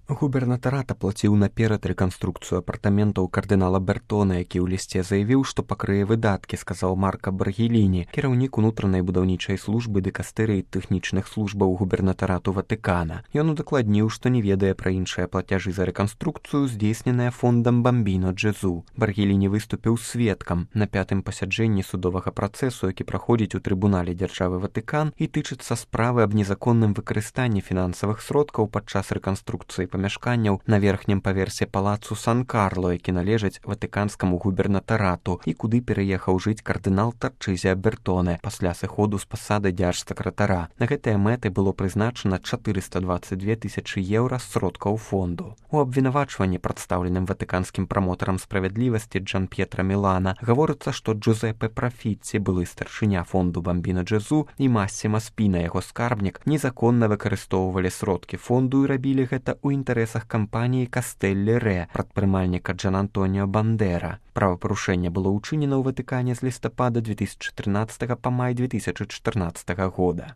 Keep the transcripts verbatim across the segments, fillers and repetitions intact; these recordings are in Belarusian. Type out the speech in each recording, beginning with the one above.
Губернатарат аплаціў наперад рэканструкцыю апартаментаў кардынала Бертона, які ў лісце заявіў, што пакрые выдаткі, сказаў Марка Баргеліні, кіраўнік унутранай будаўнічай службы дыкастэрыі тэхнічных службаў губернатарату Ватыкана. Ён удакладніў, што не ведае пра іншыя плацяжы за рэканструкцыю, здзейсненыя фондам Бамбіно Джезу. Баргеліні выступіў сведкам на пятым пасяджэнні судовага працэсу, які праходзіць у трыбунале дзяржавы Ватыкан і тычыцца справы аб незаконным выкарыстанні фінансавых сродкаў падчас рэканструкцыі памяшканняў на верхнім паверсе палацу Сан-Карло, які належаць ватыканскаму губернатарату і куды пераехаў жыць кардынал Тарчызія Бертоне пасля сыходу з пасады дзяржсакратара. На гэтыя мэты было прызначана чатырыста дваццаць дзве тысячы еўра з сродкаў фонду. У абвінавачванні, прадстаўленым ватыканскім прамотарам справядлівасці Джан П'етра Мілана, гаворыцца, што Джузеппе Прафіцці, былы старшыня фонду Бамбіно Джезу, і Массіма Спіна, яго скарбнік, незаконна выкарыстоўвалі сродкі фонду і рабілі гэта ў інтарэсах кампаніі Кастэллі Рэ, прадпрымальніка Джан Антоніо Бандера. Правапарушэнне было ўчынена ў Ватыкане з лістапада две тысячы трынаццатага па май две тысячы чатырнаццатага года.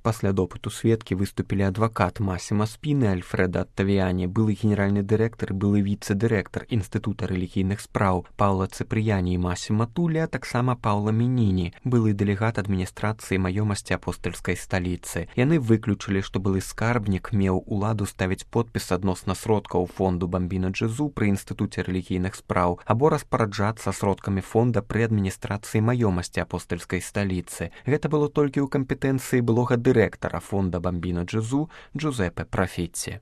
Пасля допыту сведкі выступілі адвакат Массіма Спіны Альфрэда Аттавіяні, былы генеральны дырэктар, былы віцэ-дырэктар Інстытута рэлігійных спраў Паўла Цыпрыяні і Массіма Тулі, а таксама Паўла Мініні, былы дэлегат адміністрацыі маёмасці апостальскай сталіцы. Яны выключылі, што былы скарбнік меў уладу ставіць подпіс адносна сродкаў фонду Бамбіно Джезу пры Інстытуце рэлігійных спраў або распараджацца сродкамі фонда пры адміністрацыі маёмасці апостальскай сталіцы. Гэта было толькі ў кампетэнцыі былога дырэктара фонда Бамбіно Джезу Джузеппе Прафіцці.